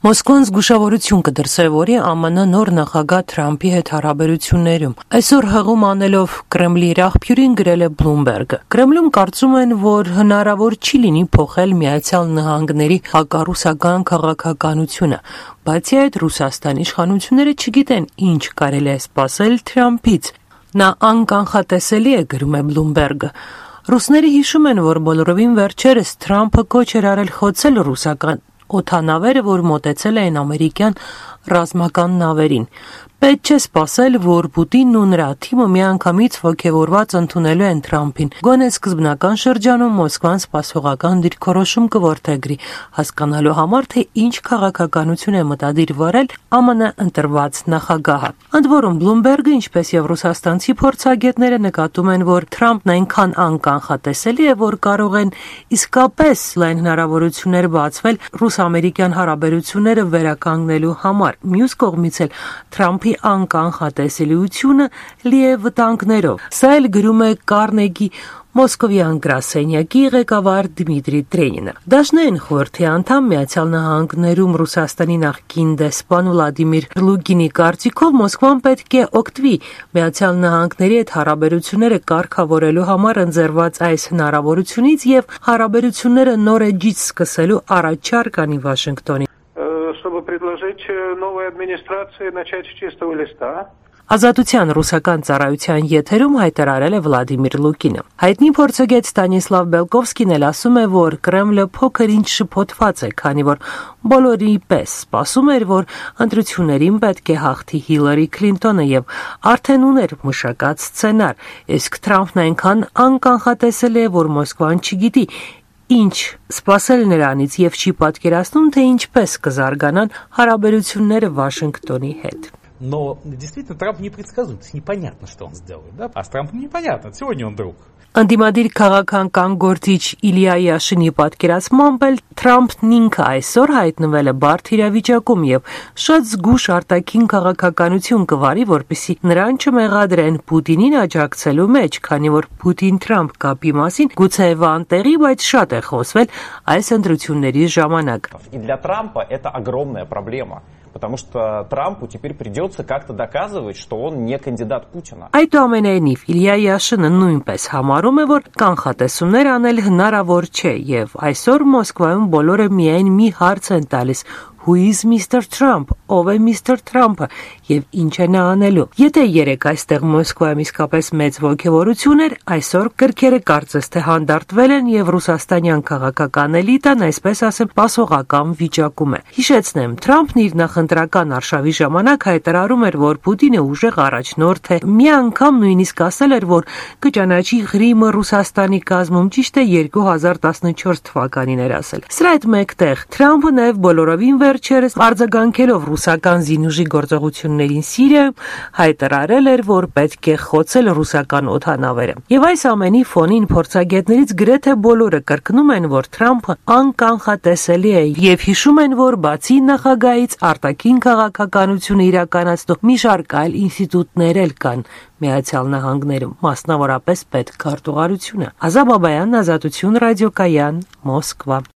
Մոսկվան զգուշավորություն կդրսևորի ԱՄՆ նոր նախագահ Թրամփի հետ հարաբերություններում։ Այսօր հղում անելով Կրեմլի իր աղբյուրին գրել է Bloomberg-ը։ Կրեմլում կարծում են, որ հնարավոր չի լինի փոխել Միացյալ Նահանգների հակառուսական քաղաքականությունը, բացի այդ Ռուսաստանի իշխանությունները չգիտեն ինչ կարելի է սպասել Թրամփից։ Նա անկանխատեսելի է, գրում է Bloomberg-ը։ Ռուսները հիշում են, որ բոլորովին վերջերս Թրամփը կոչ էր արել խոցել ռուսական օդանավերը, որ մոտեցել էին ամերիկյան ռազմական նավերին։ Պետք չէ սպասել, որ Պուտինն ու նրա թիմը միանգամից ոգևորված ընդունելու են Թրամփին։ Գոնե սկզբնական շրջանում Մոսկվան սպասողական դիրքորոշում կորդեգրի, հասկանալու համար, թե ինչ քաղաքականություն է մտադիր վարել ԱՄՆ ընտրված նախագահը։ Ընդ որում Bloomberg-ը, ինչպես եւ ռուսաստանցի փորձագետները նկատում են, որ Թրամփն այնքան անկանխատեսելի է, որ կարող են իսկապես լայն հնարավորություններ բացվել ռուս-ամերիկյան հարաբերությունները վերականգնելու համար։ Մյուս կողմից էլ Թրամփի անկանխատեսելիությունը լի է վտանգներով։ Սա էլ գրում է Կարնեգի Մոսկովյան գրասենյակի ղեկավար Դմիտրի Տրենինը։ Դաշնային խորհրդի անդամ Միացյալ Նահանգներում Ռուսաստանի նախկին դեսպան Վլադիմիր Լուգինի կարծիքով Մոսկվան պետք է օգտվի Միացյալ Նահանգների հետ հարաբերությունները կարգավորելու համար ընձեռված այս հնարավորությունից եւ հարաբերությունները նոր էջից սկսելու առաջարկ անի Վաշինգտոնին։ Чтобы предложить новой администрации начать с чистого листа. Ազատության ռուսական ծառայության եթերում հայտարարել է Վլադիմիր Լուկինը։ Հայտնի փորձագետ Ստանիսլավ Բելկովսկին էլ ասում է, որ Կրեմլը փոքր-ինչ շփոթված է, քանի որ բոլորի պես սպասում էր, որ ընտրություններին պետք է հաղթի Հիլարի Քլինտոնը եւ արդեն ուներ մշակած սցենար, իսկ Թրամփն այնքան անկանխատեսել է, որ Մոսկվան չգիտի ինչ սպասել նրանից եւ չի պատկերացնում, թե ինչպես կզարգանան հարաբերությունները Վաշինգտոնի հետ։ Но действительно Трамп непредсказуем, непонятно, что он сделает, да? А с Трампом непонятно, сегодня он друг. Անդիմադիր քաղաքական գործիչ Իլիա Յաշինի պատկերացմամբ էլ Թրամփն ինքը այսօր հայտնվել է բարդ իրավիճակում եւ շատ զգուշ արտաքին քաղաքականություն կվարի, որպեսզի նրան չմեղադրեն Պուտինին աջակցելու մեջ, քանի որ Պուտին-Թրամփ կապի մասին գուցե վանտեղի, բայց շատ է խոսվել այս ընտրությունների ժամանակ։ И для Трампа это огромная проблема. Потому что Трампу теперь придется как-то доказывать, что он не кандидат Путина. Այդուամենայնիվ Իլիա Յաշինը նույնպես համարում է, որ կանխատեսումներ անել հնարավոր չէ եւ այսօր Մոսկվայում բոլորը միայն մի հարց են տալիս. Who is Mr. Trump? Ով է Mr. Trump-ը եւ ինչ է նա անելու։ Եթե երեք այստեղ Մոսկվայում իսկապես մեծ ոգևորություն էր, այսօր կրքերը կարծես թե հանդարտվել են եւ ռուսաստանյան քաղաքական էլիտան, այսպես ասեմ, պասողական վիճակում է։ Հիշեցնեմ, Թրամփն իր նախընտրական արշավի ժամանակ հայտարարում էր, որ Պուտինը ուժեղ առաջնորդ է։ Մի անգամ նույնիսկ ասել էր, որ կճանաչի Ղրիմը Ռուսաստանի կազմում, ճիշտ է 2014 թվականին էր ասել։ Սրա հետ մեկտեղ Թրամփը նաեւ բոլորովին վերջերս արձագանքելով ռուսական զինուժի գործողություններին Սիրիայում հայտարարել էր, որ պետք է խոցել ռուսական օդանավերը։ Եվ այս ամենի ֆոնին փորձագետներից գրեթե բոլորը կրկնում են, որ Թրամփը անկանխատեսելի է եւ հիշում են, որ բացի նախագահից արտաքին քաղաքականությունը իրականացնող մի շարք այլ ինստիտուտներ էլ կան Միացյալ Նահանգներում, մասնավորապես պետքարտուղարությունը։ Ազատ Բաբայան, Ազատություն ռադիոկայան, Մոսկվա։